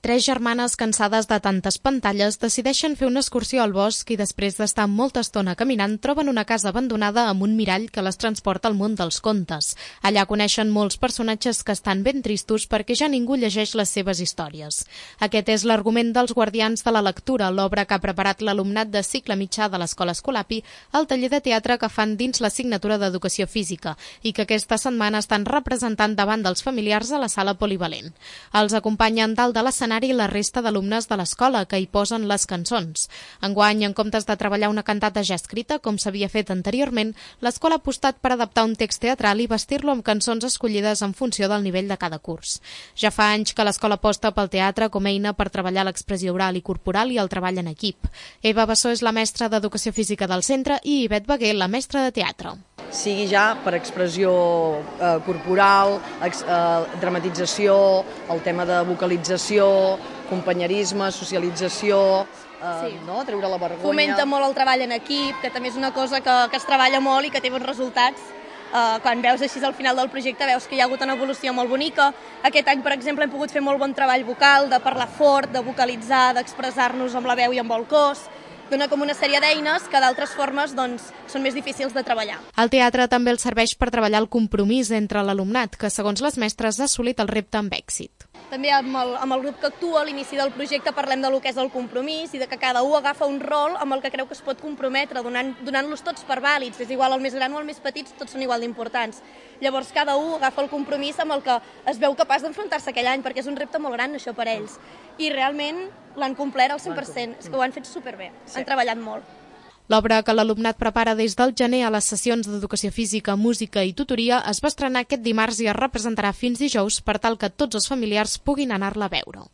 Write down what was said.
Tres germanes cansades de tantes pantalles decideixen fer una excursió al bosc i després d'estar molta estona caminant troben una casa abandonada amb un mirall que les transporta al món dels contes. Allà coneixen molts personatges que estan ben tristos perquè ja ningú llegeix les seves històries. Aquest és l'argument dels Guardians de la Lectura, l'obra que ha preparat l'alumnat de cicle mitjà de l'Escola Escolapi al taller de teatre que fan dins l'assignatura d'Educació Física i que aquesta setmana estan representant davant dels familiars a la sala polivalent. Els acompanyen dalt de l'escenari la resta d'alumnes de l'escola que hi posen les cançons. Enguany, en comptes de treballar una cantata ja escrita, com s'havia fet anteriorment, l'escola ha apostat per adaptar un text teatral i vestir-lo amb cançons escollides en funció del nivell de cada curs. Ja fa anys que l'escola aposta pel teatre com a eina per treballar l'expressió oral i corporal i el treball en equip. Eva Bassó és la mestra d'Educació Física del centre i Ivet Beguer, la mestra de teatre. Sigui ja per expressió corporal, dramatització, el tema de vocalització, companyerisme, socialització, treure la vergonya. Fomenta molt el treball en equip, que també és una cosa que es treballa molt i que té bons resultats. Quan veus així al final del projecte veus que hi ha hagut una evolució molt bonica. Aquest any, per exemple, hem pogut fer molt bon treball vocal, de parlar fort, de vocalitzar, d'expressar-nos amb la veu i amb el cos. Dona com una sèrie d'eines que d'altres formes són més difícils de treballar. El teatre també els serveix per treballar el compromís entre l'alumnat, que segons les mestres ha assolit el repte amb èxit. També amb el grup que actua a l'inici del projecte parlem de lo que és el compromís i de que cada un agafa un rol amb el que creu que es pot comprometre, donant-los tots per vàlids. És igual el més gran o el més petit, tots són igual d'importants. Llavors cada un agafa el compromís amb el que es veu capaç d'enfrontar-se aquell any, perquè és un repte molt gran això per ells. I realment l'han complert al 100%, és que ho han fet superbé, han treballat molt. L'obra que l'alumnat prepara des del gener a les sessions d'educació física, música i tutoria es va estrenar aquest dimarts i es representarà fins dijous per tal que tots els familiars puguin anar-la a veure.